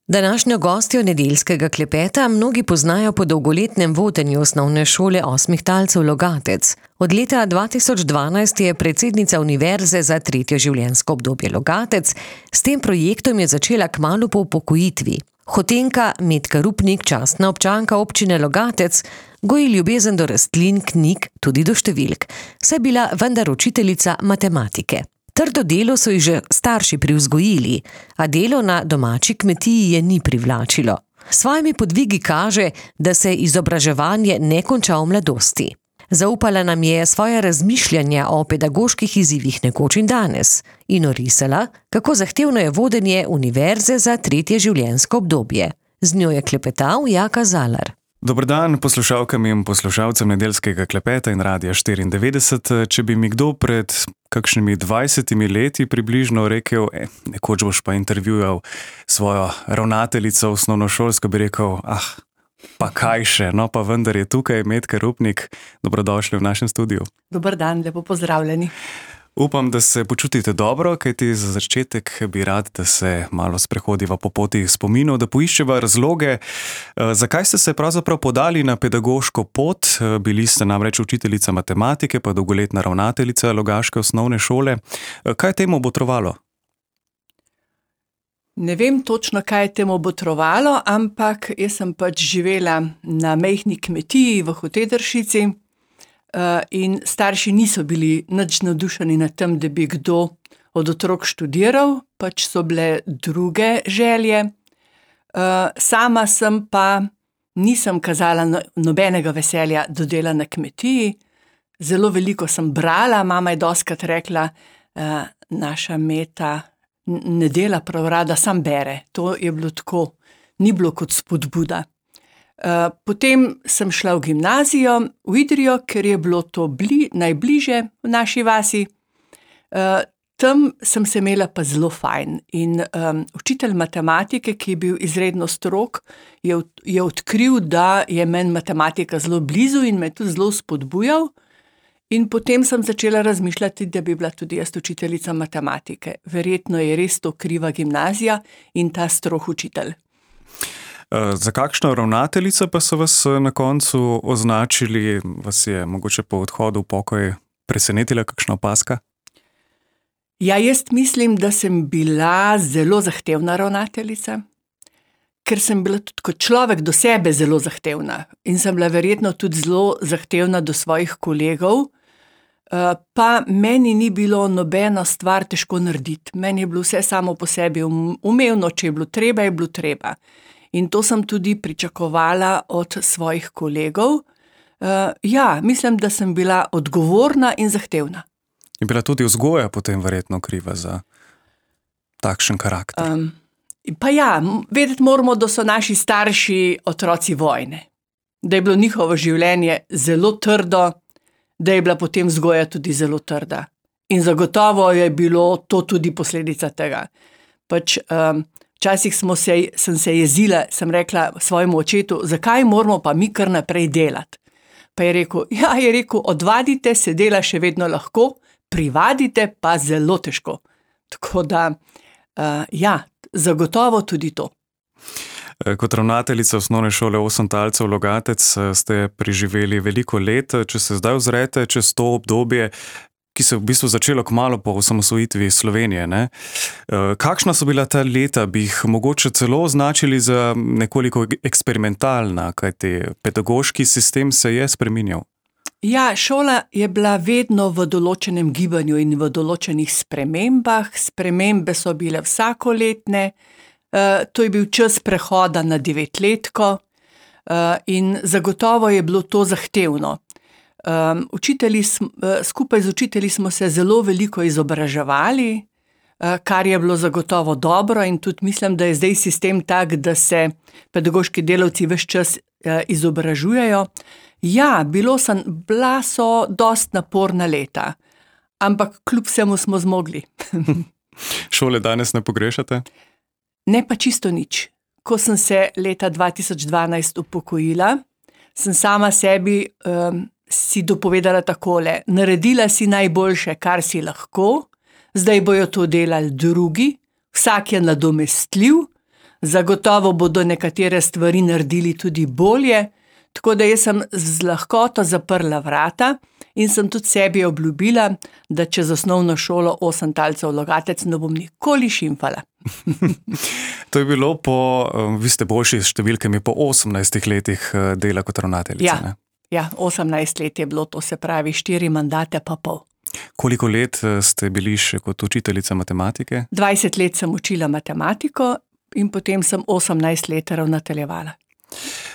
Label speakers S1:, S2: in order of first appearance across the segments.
S1: Današnjo gostjo nedeljskega klepeta mnogi poznajo po dolgoletnem vodenju osnovne šole Osmih talcev Logatec. Od leta 2012 je predsednica Univerze za tretje življenjsko obdobje Logatec. S tem projektom je začela kmalu po upokojitvi. Hotenka Metka Rupnik, častna občanka občine Logatec, goji ljubezen do rastlin, knjig, tudi do številk. Saj bila vendar učiteljica matematike. Trdo delo so ji že starši privzgojili, a delo na domači kmetiji je ni privlačilo. S svojimi podvigi kaže, da se izobraževanje ne konča v mladosti. Zaupala nam je svoje razmišljanja o pedagoških izzivih nekoč in danes in orisala, kako zahtevno je vodenje Univerze za tretje življenjsko obdobje. Z njo je klepetal Jaka Zalar.
S2: Dober dan poslušalkam in poslušalcem nedeljskega klepeta in Radia 94. Če bi mi kdo pred kakšnimi 20 leti približno rekel, nekoč boš pa intervjujal svojo ravnateljico osnovnošolsko, bi rekel, pa kaj še, no pa vendar je tukaj Metka Rupnik. Dobrodošli v našem studiu.
S3: Dober dan, lepo pozdravljeni.
S2: Upam, da se počutite dobro, kajti za začetek bi rad, da se malo sprehodiva po poti spominov, da poiščeva razloge, zakaj ste se pravzaprav podali na pedagoško pot. Bili ste namreč učiteljica matematike, pa dolgoletna ravnateljica logaške osnovne šole. Kaj je temu botrovalo?
S3: Ne vem točno, kaj je temu botrovalo, ampak jaz sem pač živela na majhni kmetiji v Hotedršici, in starši niso bili nič navdušeni nad tem, da bi kdo od otrok študiral, pač so bile druge želje. Sama sem pa nisem kazala nobenega veselja do dela na kmetiji. Zelo veliko sem brala, mama je dostikrat rekla, naša Meta ne dela prav rada, sam bere. To je bilo tako, ni bilo kot spodbuda. Potem sem šla v gimnazijo, v Idrijo, ker je bilo to najbliže v naši vasi. Tam sem se imela pa zelo fajn in učitelj matematike, ki je bil izredno strog, je odkril, da je meni matematika zelo blizu in me tudi zelo spodbujal. In potem sem začela razmišljati, da bi bila tudi jaz učiteljica matematike. Verjetno je res to kriva gimnazija in ta strog učitelj.
S2: Za kakšno ravnateljico pa so vas na koncu označili? Vas je mogoče po odhodu v pokoj presenetila kakšna opazka?
S3: Ja, jaz mislim, da sem bila zelo zahtevna ravnateljica, ker sem bila tudi kot človek do sebe zelo zahtevna in sem bila verjetno tudi zelo zahtevna do svojih kolegov, pa meni ni bilo nobena stvar težko narediti. Meni je bilo vse samo po sebi umevno, če je bilo treba, je bilo treba. In to sem tudi pričakovala od svojih kolegov. Ja, mislim, da sem bila odgovorna in zahtevna.
S2: Je bila tudi vzgoja potem verjetno kriva za takšen karakter?
S3: Pa ja, vedeti moramo, da so naši starši otroci vojne. Da je bilo njihovo življenje zelo trdo, da je bila potem vzgoja tudi zelo trda. In zagotovo je bilo to tudi posledica tega. Pač včasih sem se jezila, sem rekla svojemu očetu, zakaj moramo pa mi kar naprej delati. Pa je rekel, odvadite se dela še vedno lahko, privadite pa zelo težko. Tako da, ja, zagotovo tudi to.
S2: Kot ravnateljica osnovne šole Osem talcev Logatec ste preživeli veliko let. Če se zdaj ozrete čez to obdobje, ki se je v bistvu začelo kmalu po osamosvojitvi Slovenije, ne? Kakšna so bila ta leta? Bi jih mogoče celo označili za nekoliko eksperimentalna, kajti pedagoški sistem se je spreminjal?
S3: Ja, šola je bila vedno v določenem gibanju in v določenih spremembah. Spremembe so bile vsakoletne. To je bil čas prehoda na 9-letko in zagotovo je bilo to zahtevno. Skupaj z učitelji smo se zelo veliko izobraževali, kar je bilo zagotovo dobro in tudi mislim, da je zdaj sistem tak, da se pedagoški delavci ves čas izobražujejo. Ja, bila so dost naporna leta, ampak kljub vsemu smo zmogli.
S2: Šole danes ne pogrešate?
S3: Ne pa čisto nič. Ko sem se leta 2012 upokojila, sem sama sebi si dopovedala takole, naredila si najboljše, kar si lahko, zdaj bojo to delali drugi, vsak je nadomestljiv, Zagotovo bodo nekatere stvari naredili tudi bolje, tako da jaz sem z lahkoto zaprla vrata in sem tudi sebi obljubila, da čez osnovno šolo 8 talcev Logatec ne bom nikoli šimfala.
S2: To je bilo vi ste boljši s številkami, po 18 letih dela kot ravnateljica, ne?
S3: Ja, 18 let je bilo, to se pravi 4 mandate pa pol.
S2: Koliko let ste bili še kot učiteljica matematike?
S3: 20 let sem učila matematiko in potem sem 18 let ravnateljevala.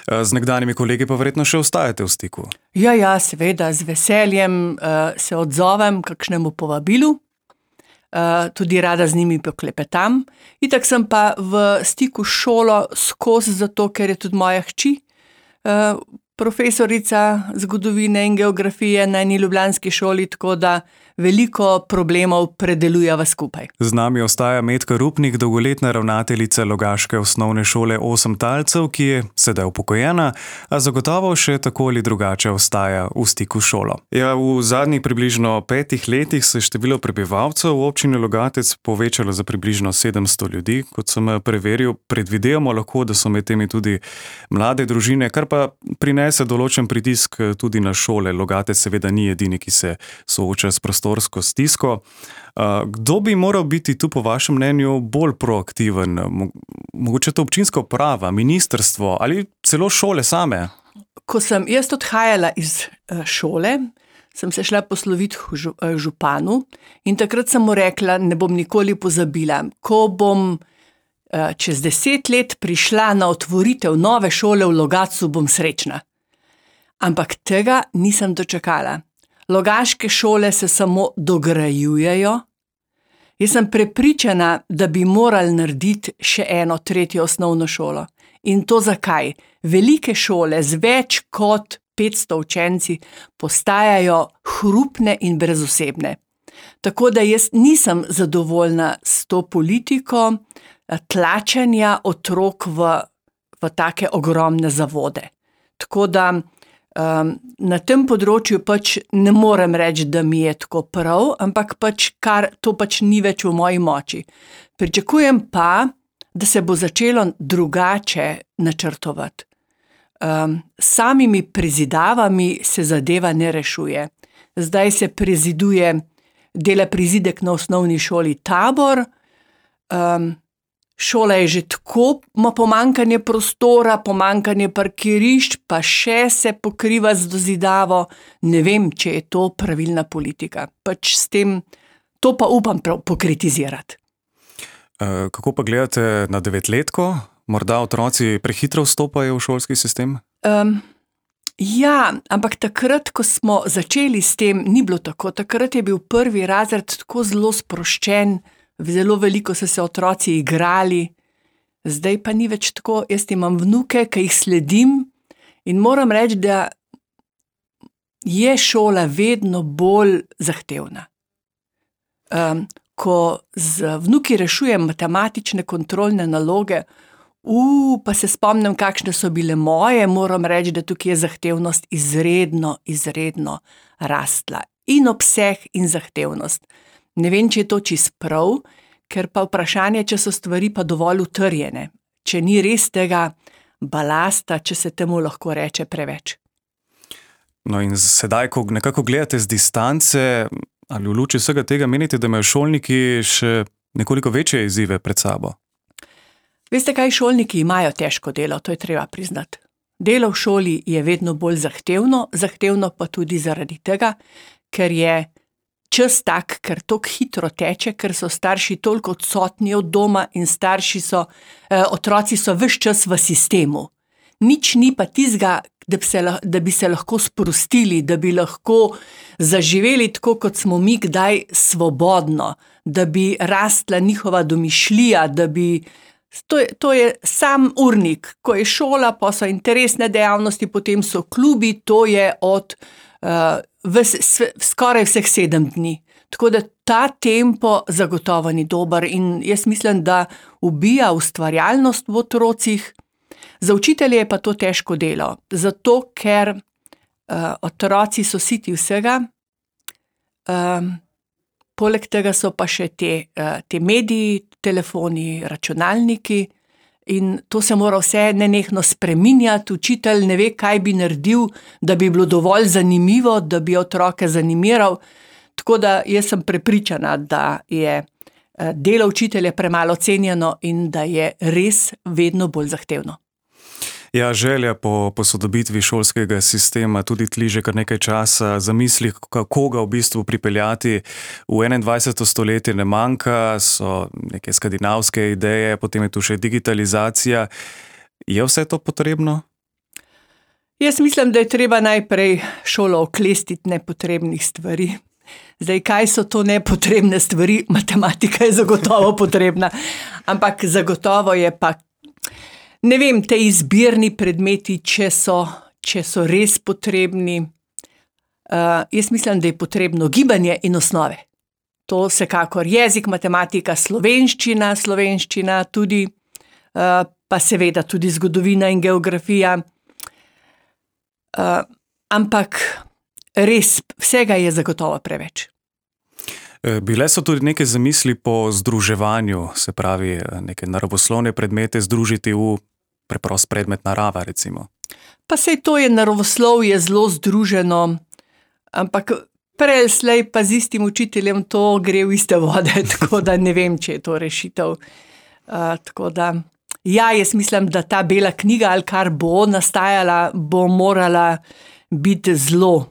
S2: Z nekdanjimi kolegi pa verjetno še ostajate v stiku?
S3: Ja, seveda, z veseljem se odzovem kakšnemu povabilu, tudi rada z njimi poklepetam. Itak sem pa v stiku s šolo skozi, zato ker je tudi moja hči profesorica zgodovine in geografije na eni ljubljanski šoli, tako da veliko problemov predelujeva skupaj.
S2: Z nami ostaja Metka Rupnik, dolgoletna ravnateljica logaške osnovne šole 8 talcev, ki je sedaj upokojena, a zagotovo še tako ali drugače ostaja v stiku s šolo. Ja, v zadnjih približno 5 letih se je število prebivalcev v občini Logatec povečalo za približno 700 ljudi. Kot sem preveril, predvidevamo lahko, da so med temi tudi mlade družine, kar pa prinese določen pritisk tudi na šole. Logatec seveda ni edini, ki se sooča s prostorsko stisko. Kdo bi moral biti tu po vašem mnenju bolj proaktiven? Mogoče to občinska uprava, ministrstvo ali celo šole same?
S3: Ko sem jaz odhajala iz šole, sem se šla posloviti županu in takrat sem mu rekla, ne bom nikoli pozabila, ko bom čez 10 let prišla na otvoritev nove šole v Logatcu, bom srečna. Ampak tega nisem dočakala. Logaške šole se samo dograjujejo. Jaz sem prepričana, da bi morali narediti še eno 3. osnovno šolo. In to zakaj? Velike šole z več kot 500 učenci postajajo hrupne in brezosebne. Tako da jaz nisem zadovoljna s to politiko tlačenja otrok v take ogromne zavode. Tako da na tem področju pač ne morem reči, da mi je tako prav, ampak to ni več v moji moči. Pričakujem pa, da se bo začelo drugače načrtovati. Samimi prezidavami se zadeva ne rešuje. Zdaj se dela prizidek na osnovni šoli Tabor, šola je že tako, ima pomanjkanje prostora, pomanjkanje parkirišč, pa še se pokriva z dozidavo. Ne vem, če je to pravilna politika. Pač s tem, to pa upam pokritizirati.
S2: Kako pa gledate na 9-letko? Morda otroci prehitro vstopajo v šolski sistem?
S3: Ja, ampak takrat, ko smo začeli s tem, ni bilo tako. Takrat je bil 1. razred tako zelo sproščen, zelo veliko so se otroci igrali, zdaj pa ni več tako. Jaz imam vnuke, ki jih sledim in moram reči, da je šola vedno bolj zahtevna. Ko z vnuki rešujem matematične kontrolne naloge, pa se spomnim, kakšne so bile moje, moram reči, da tukaj je zahtevnost izredno rastla. In obseg in zahtevnost. Ne vem, če je to čisto prav, ker pa vprašanje, če so stvari pa dovolj utrjene. Če ni res tega balasta, če se temu lahko reče preveč.
S2: No in sedaj, ko nekako gledate z distance, ali v luči vsega tega menite, da imajo šolniki še nekoliko večje izzive pred sabo?
S3: Veste kaj, šolniki imajo težko delo, to je treba priznati. Delo v šoli je vedno bolj zahtevno pa tudi zaradi tega, ker je čas tak, ker toliko hitro teče, ker so starši toliko odsotni od doma in otroci so ves čas v sistemu. Nič ni pa tizga, da bi se lahko sprostili, da bi lahko zaživeli tako, kot smo mi kdaj svobodno, da bi rastla njihova domišljija, to je sam urnik. Ko je šola, pa so interesne dejavnosti, potem so klubi, to je od skoraj vseh 7 dni. Tako da ta tempo zagotovo ni dober in jaz mislim, da ubija ustvarjalnost v otrocih. Za učitelje je pa to težko delo, zato ker otroci so siti vsega, poleg tega so pa še te mediji, telefoni, računalniki In to se mora vse nenehno spreminjati, učitelj ne ve, kaj bi naredil, da bi bilo dovolj zanimivo, da bi otroke zanimiral. Tako da jaz sem prepričana, da je delo učitelja premalo cenjeno in da je res vedno bolj zahtevno.
S2: Ja, želja po posodobitvi šolskega sistema tudi tli že kar nekaj časa, zamisli, kako ga v bistvu pripeljati v 21. stoletje ne manjka, so neke skandinavske ideje, potem je tu še digitalizacija. Je vse to potrebno?
S3: Jaz mislim, da je treba najprej šolo oklestiti nepotrebnih stvari. Zdaj, kaj so to nepotrebne stvari? Matematika je zagotovo potrebna, ampak zagotovo je pa, ne vem, te izbirni predmeti, če so res potrebni. Jaz mislim, da je potrebno gibanje in osnove. To vsekakor jezik, matematika, slovenščina tudi, pa seveda tudi zgodovina in geografija. Ampak res, vsega je zagotovo preveč.
S2: Bile so tudi neke zamisli po združevanju, se pravi, neke naravoslovne predmete združiti v preprost predmet narava, recimo.
S3: Pa sej to je naravoslovje zelo združeno, ampak prej slej pa z istim učiteljem to gre v iste vode, tako da ne vem, če je to rešitev. Tako da, ja, jaz mislim, da ta bela knjiga ali kar bo nastajala, bo morala biti zelo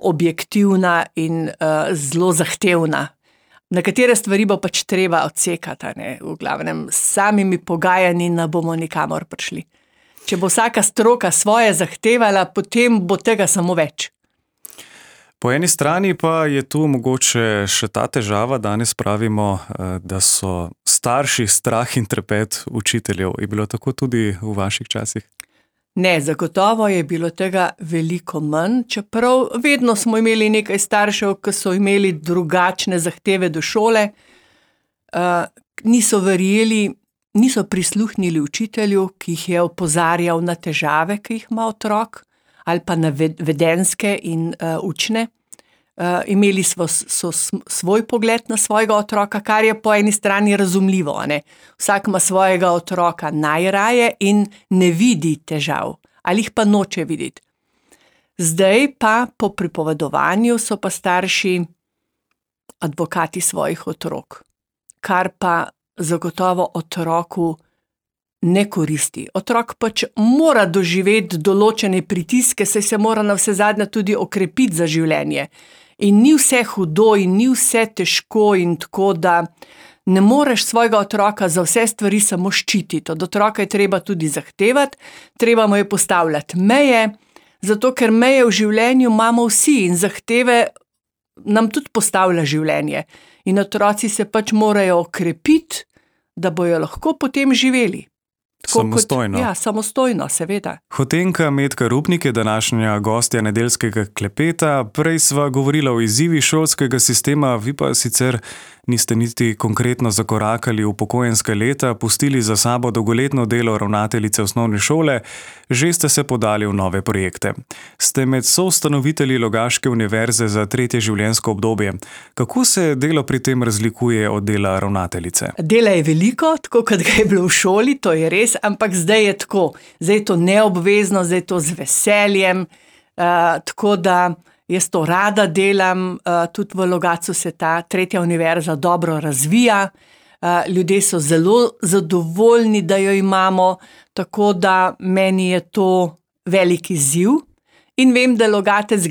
S3: objektivna in zelo zahtevna. Nekatere stvari bo pač treba odsekati, ne? V glavnem, s samimi pogajanji ne bomo nikamor prišli. Če bo vsaka stroka svoje zahtevala, potem bo tega samo več.
S2: Po eni strani pa je tu mogoče še ta težava, danes pravimo, da so starši strah in trepet učiteljev. Je bilo tako tudi v vaših časih?
S3: Ne, zagotovo je bilo tega veliko manj, čeprav vedno smo imeli nekaj staršev, ki so imeli drugačne zahteve do šole, niso verjeli, niso prisluhnili učitelju, ki jih je opozarjal na težave, ki jih ima otrok, ali pa na vedenjske in učne. Imeli so svoj pogled na svojega otroka, kar je po eni strani razumljivo, ne? Vsak ima svojega otroka najraje in ne vidi težav, ali jih pa noče videti. Zdaj pa po pripovedovanju so pa starši advokati svojih otrok, kar pa zagotovo otroku ne koristi. Otrok pač mora doživeti določene pritiske, saj se mora navsezadnje tudi okrepiti za življenje. In ni vse hudo in ni vse težko in tako, da ne moreš svojega otroka za vse stvari samo ščititi. Od otroka je treba tudi zahtevati, treba mu je postavljati meje, zato ker meje v življenju imamo vsi in zahteve nam tudi postavlja življenje. In otroci se pač morajo okrepiti, da bojo lahko potem živeli.
S2: Samostojno.
S3: Ja, samostojno, seveda.
S2: Hotenka Metka Rupnik je današnja gostja nedeljskega klepeta. Prej sva govorila o izzivih šolskega sistema, vi pa sicer niste niti konkretno zakorakali v upokojenska leta, pustili za sabo dolgoletno delo ravnateljice osnovne šole, že ste se podali v nove projekte. Ste med soustanovitelji Logaške univerze za 3. življenjsko obdobje. Kako se delo pri tem razlikuje od dela ravnateljice?
S3: Dela je veliko, tako kot ga je bilo v šoli, to je res, ampak zdaj je tako. Zdaj je to neobvezno, zdaj je to z veseljem, tako da jaz to rada delam, tudi v Logatcu se ta 3. univerza dobro razvija, ljudje so zelo zadovoljni, da jo imamo, tako da meni je to velik izziv in vem, da Logatec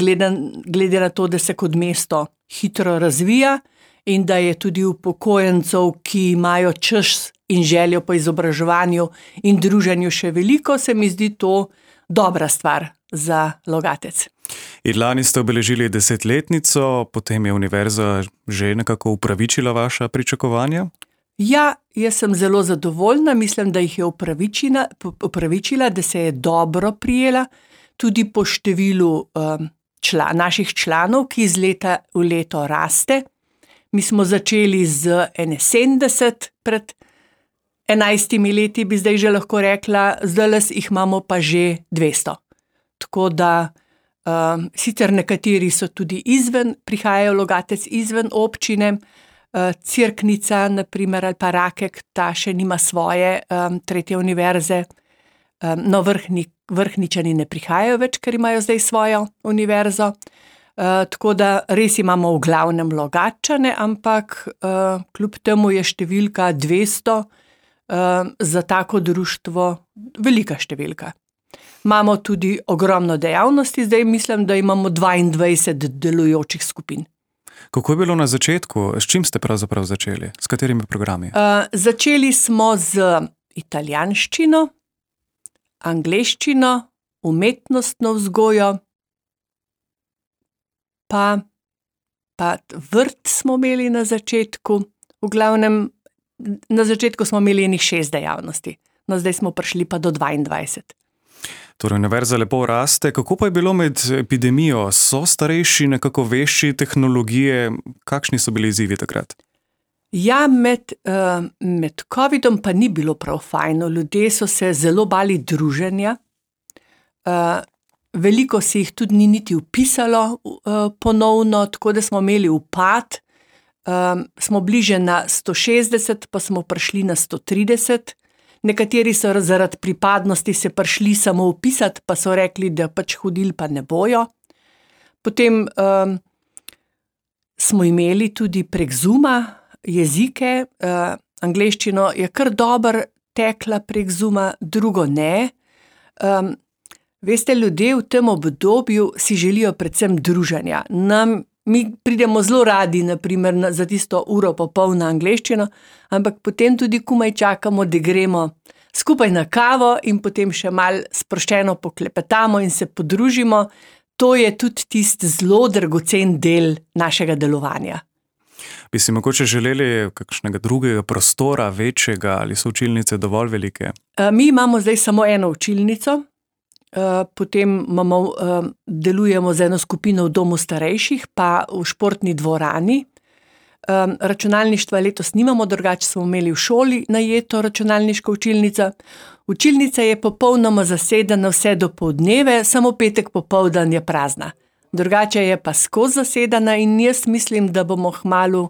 S3: glede na to, da se kot mesto hitro razvija in da je tudi upokojencev, ki imajo čas in željo po izobraževanju in druženju še veliko, se mi zdi to dobra stvar za Logatec.
S2: In lani ste obeležili 10-letnico, potem je univerza že nekako upravičila vaša pričakovanja?
S3: Ja, jaz sem zelo zadovoljna, mislim, da jih je upravičila, da se je dobro prijela, tudi po številu naših članov, ki iz leta v leto raste. Mi smo začeli z 71 pred 11 leti, bi zdaj že lahko rekla, zdaj jih imamo pa že 200. Tako da sicer nekateri so tudi prihajajo v Logatec izven občine, Cerknica, naprimer, ali pa Rakek, ta še nima svoje tretje univerze. No, Vrhničani ne prihajajo več, ker imajo zdaj svojo univerzo. Tako da res imamo v glavnem Logatčane, ampak kljub temu je številka 200 za tako društvo velika številka. Imamo tudi ogromno dejavnosti, zdaj mislim, da imamo 22 delujočih skupin.
S2: Kako je bilo na začetku? S čim ste pravzaprav začeli? S katerimi programi?
S3: Začeli smo z italijanščino, angleščino, umetnostno vzgojo, pa vrt smo imeli na začetku. V glavnem, na začetku smo imeli enih 6 dejavnosti. No, zdaj smo prišli pa do 22.
S2: Torej, univerza lepo raste. Kako pa je bilo med epidemijo? So starejši nekako vešči tehnologije? Kakšni so bili izzivi takrat?
S3: Ja, med covidom pa ni bilo prav fajno. Ljudje so se zelo bali druženja. Veliko se jih tudi ni niti vpisalo ponovno, tako da smo imeli upad. Smo bliže na 160, pa smo prišli na 130. Nekateri so zaradi pripadnosti se prišli samo vpisati, pa so rekli, da pač hodili pa ne bojo. Potem smo imeli tudi prek Zooma jezike. Angleščino je kar dobro tekla prek Zooma, drugo ne. Veste, ljudje v tem obdobju si želijo predvsem druženja. Mi pridemo zelo radi, naprimer, za tisto uro pa pol na angleščino, ampak potem tudi komaj čakamo, da gremo skupaj na kavo in potem še malo sproščeno poklepetamo in se podružimo. To je tudi tisti zelo dragocen del našega delovanja.
S2: Bi si mogoče želeli kakšnega drugega prostora, večjega, ali so učilnice dovolj velike?
S3: Mi imamo zdaj samo eno učilnico. Potem delujemo z eno skupino v domu starejših, pa v športni dvorani. Računalništva letos nimamo, drugače smo imeli v šoli najeto računalniško učilnico. Učilnica je popolnoma zasedena vse do poldneve, samo petek popoldan je prazna. Drugače je pa skozi zasedena in jaz mislim, da bomo kmalu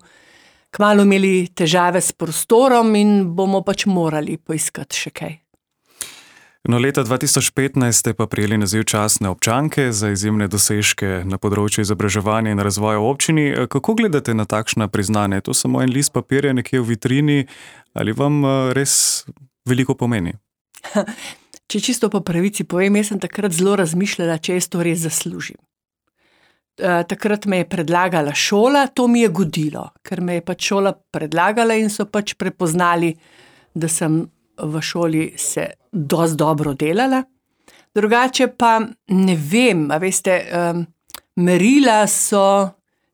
S3: imeli težave s prostorom in bomo pač morali poiskati še kaj.
S2: No, leta 2015 ste pa prejeli naziv častne občanke za izjemne dosežke na področju izobraževanja in razvoja v občini. Kako gledate na takšna priznanja? Je to samo en list papirja nekje v vitrini ali vam res veliko pomeni?
S3: Če čisto po pravici povem, jaz sem takrat zelo razmišljala, če jaz to res zaslužim. Takrat me je predlagala šola, to mi je godilo, ker me je pač šola predlagala in so pač prepoznali, da sem v šoli se dosti dobro delala. Drugače pa ne vem, a veste, merila so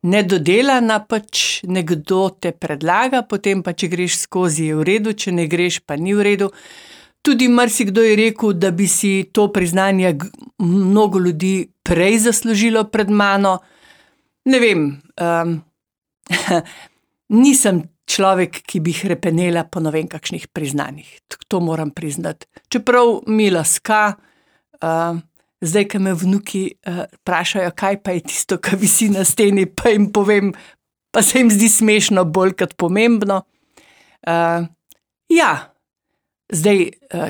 S3: nedodelana, pač nekdo te predlaga, potem pa če greš skozi je v redu, če ne greš pa ni v redu. Tudi marsikdo je rekel, da bi si to priznanje mnogo ljudi prej zaslužilo pred mano. Ne vem, nisem človek, ki bi hrepenela po ne vem kakšnih priznanjih. To moram priznati. Čeprav mi laska, zdaj, ko me vnuki vprašajo, kaj pa je tisto, kar visi na steni, pa jim povem, pa se jim zdi smešno bolj kot pomembno. Ja, zdaj,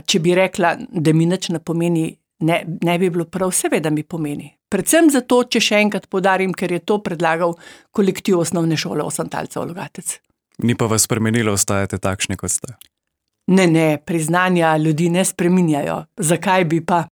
S3: če bi rekla, da mi nič ne pomeni, ne bi bilo prav, seveda mi pomeni. Predvsem zato, če še enkrat poudarim, ker je to predlagal kolektiv osnovne šole Osantalcev Logatec.
S2: Ni pa vas spremenilo, ostajate takšni, kot ste?
S3: Ne, priznanja ljudi ne spreminjajo. Zakaj bi pa?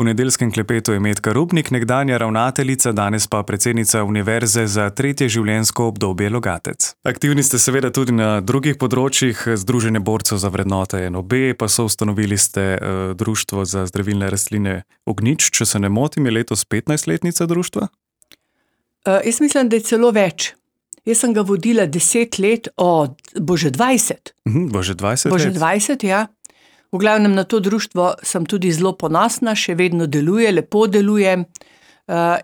S2: V nedeljskem klepetu je Metka Rupnik, nekdanja ravnateljica, danes pa predsednica Univerze za tretje življenjsko obdobje Logatec. Aktivni ste seveda tudi na drugih področjih, Združenje borcev za vrednote NOB, pa so ustanovili ste Društvo za zdravilne rastline Ognjič, če se ne motim, je letos 15-letnica društva?
S3: Jaz mislim, da je celo več. Jaz sem ga vodila 10 let, bože 20.
S2: Bože 20 let?
S3: Bože 20, ja. V glavnem na to društvo sem tudi zelo ponosna, še vedno deluje, lepo deluje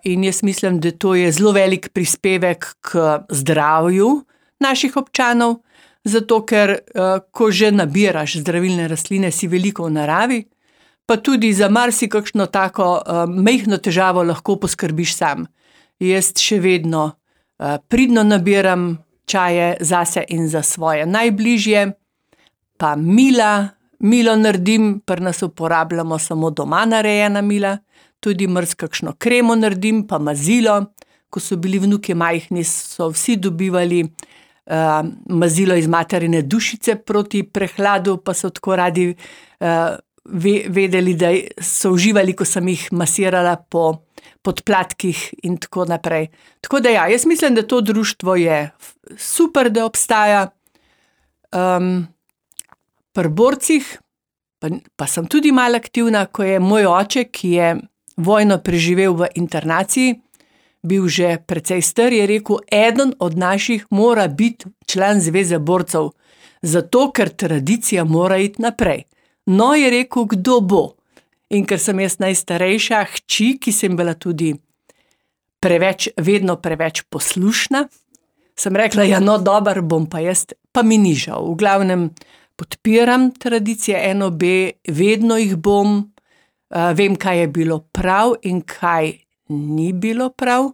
S3: in jaz mislim, da to je zelo velik prispevek k zdravju naših občanov, zato ker ko že nabiraš zdravilne rastline, si veliko v naravi, pa tudi za marsikakšno tako majhno težavo lahko poskrbiš sam. Jaz še vedno pridno nabiram čaje zase in za svoje najbližje, pa milo naredim, pri nas uporabljamo samo doma narejena mila, tudi kakšno kremo naredim, pa mazilo. Ko so bili vnuki majhni, so vsi dobivali mazilo iz materine dušice proti prehladu, pa so tako radi vedeli, da so uživali, ko sem jih masirala po podplatkih in tako naprej. Tako da ja, jaz mislim, da to društvo je super, da obstaja. Pri borcih pa sem tudi malo aktivna, ko je moj oče, ki je vojno preživel v internaciji, bil že precej star, je rekel, eden od naših mora biti član Zveze borcev, zato ker tradicija mora iti naprej. No, je rekel, kdo bo. In ker sem jaz najstarejša hči, ki sem bila tudi vedno preveč poslušna, sem rekla, ja, no, dober bom pa jaz, pa mi ni žal. V glavnem podpiram tradicije NOB, vedno jih bom, vem, kaj je bilo prav in kaj ni bilo prav.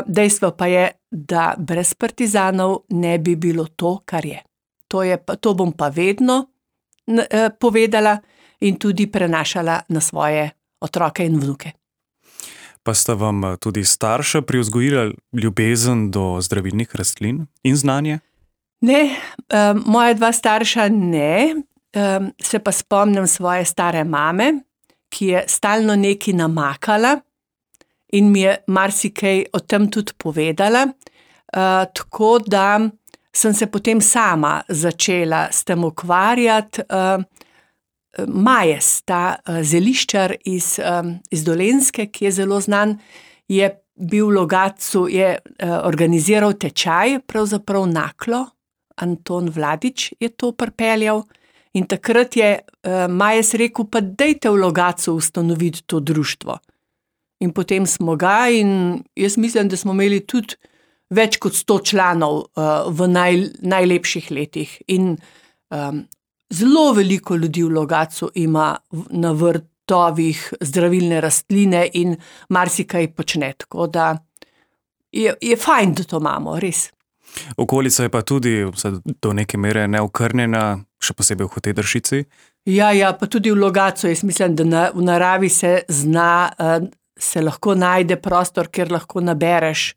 S3: Dejstvo pa je, da brez partizanov ne bi bilo to, kar je. To bom pa vedno povedala in tudi prenašala na svoje otroke in vnuke.
S2: Pa sta vam tudi starša privzgojila ljubezen do zdravilnih rastlin in znanje?
S3: Ne, moja dva starša ne, se pa spomnim svoje stare mame, ki je stalno nekaj namakala in mi je marsikaj o tem tudi povedala, tako da sem se potem sama začela s tem ukvarjati. Majes, ta zeliščar iz Dolenjske, ki je zelo znan, je bil v Logatcu, je organiziral tečaj, pravzaprav Naklo, Anton Vladić je to pripeljal in takrat je Majes rekel, pa dajte v Logatcu ustanoviti to društvo. In potem smo ga in jaz mislim, da smo imeli tudi več kot 100 članov v najlepših letih in zelo veliko ljudi v Logatcu ima na vrtovih zdravilne rastline in marsikaj počne, tako da je fajn, da to imamo, res.
S2: Okolica je pa tudi do neke mere neokrnjena, še posebej v Hotedršici.
S3: Ja, pa tudi v Logatcu, jaz mislim, da v naravi se lahko najde prostor, kjer lahko nabereš,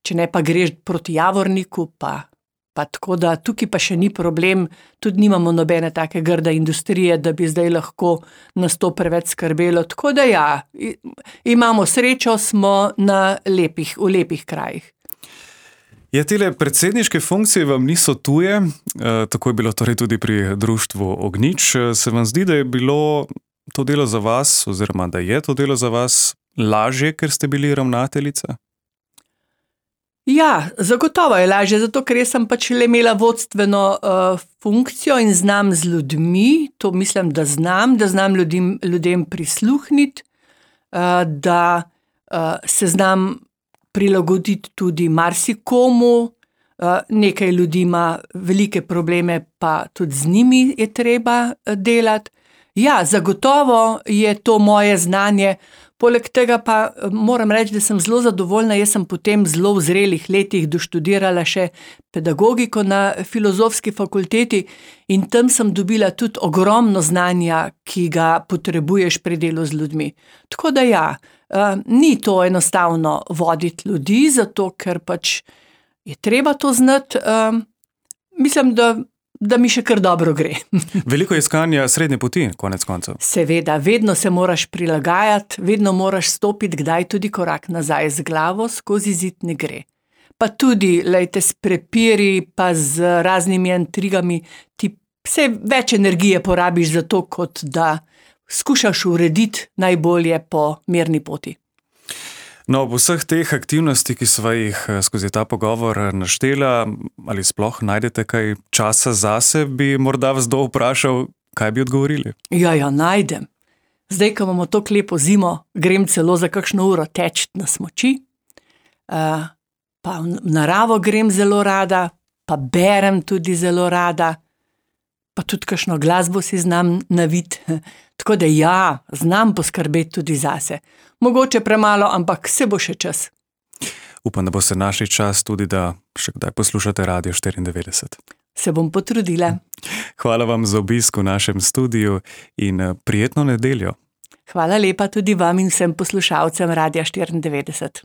S3: če ne pa greš proti Javorniku, pa tako da tukaj pa še ni problem, tudi nimamo nobene take grde industrije, da bi zdaj lahko nas to preveč skrbelo, tako da ja, imamo srečo, smo v lepih krajih.
S2: Ja, tele predsedniške funkcije vam niso tuje, tako je bilo torej tudi pri društvu Ognjič. Se vam zdi, da je bilo to delo za vas, oziroma da je to delo za vas lažje, ker ste bili ravnateljica?
S3: Ja, zagotovo je lažje, zato ker jaz sem pač le imela vodstveno funkcijo in znam z ljudmi, to mislim, da znam ljudem prisluhniti, da se znam prilagoditi tudi marsikomu, nekaj ljudi ima velike probleme, pa tudi z njimi je treba delati. Ja, zagotovo je to moje znanje. Poleg tega pa moram reči, da sem zelo zadovoljna, jaz sem potem zelo v zrelih letih doštudirala še pedagogiko na Filozofski fakulteti in tam sem dobila tudi ogromno znanja, ki ga potrebuješ pri delu z ljudmi. Tako da ja, ni to enostavno voditi ljudi, zato ker pač je treba to znati. Mislim, da mi še kar dobro gre.
S2: Veliko je iskanja srednje poti, konec koncev.
S3: Seveda, vedno se moraš prilagajati, vedno moraš stopiti, kdaj tudi korak nazaj z glavo, skozi zid ne gre. Pa tudi, lejte, s prepiri, pa z raznimi intrigami, ti vse več energije porabiš za to, kot da skušaš urediti najbolje po mirni poti.
S2: No, ob vseh teh aktivnosti, ki sva jih skozi ta pogovor naštela, ali sploh najdete kaj časa zase, bi morda vas kdo vprašal, kaj bi odgovorili? Ja,
S3: najdem. Zdaj, ko imamo to lepo zimo, grem celo za kakšno uro teči na smuči, pa v naravo grem zelo rada, pa berem tudi zelo rada, pa tudi kakšno glasbo si znam naviti. Tako da ja, znam poskrbeti tudi zase. Mogoče premalo, ampak se bo še čas.
S2: upam, da boste našli čas tudi, da še kdaj poslušate Radio 94.
S3: Se bom potrudila.
S2: Hvala vam za obisk v našem studiu in prijetno nedeljo.
S3: Hvala lepa tudi vam in vsem poslušalcem Radia 94.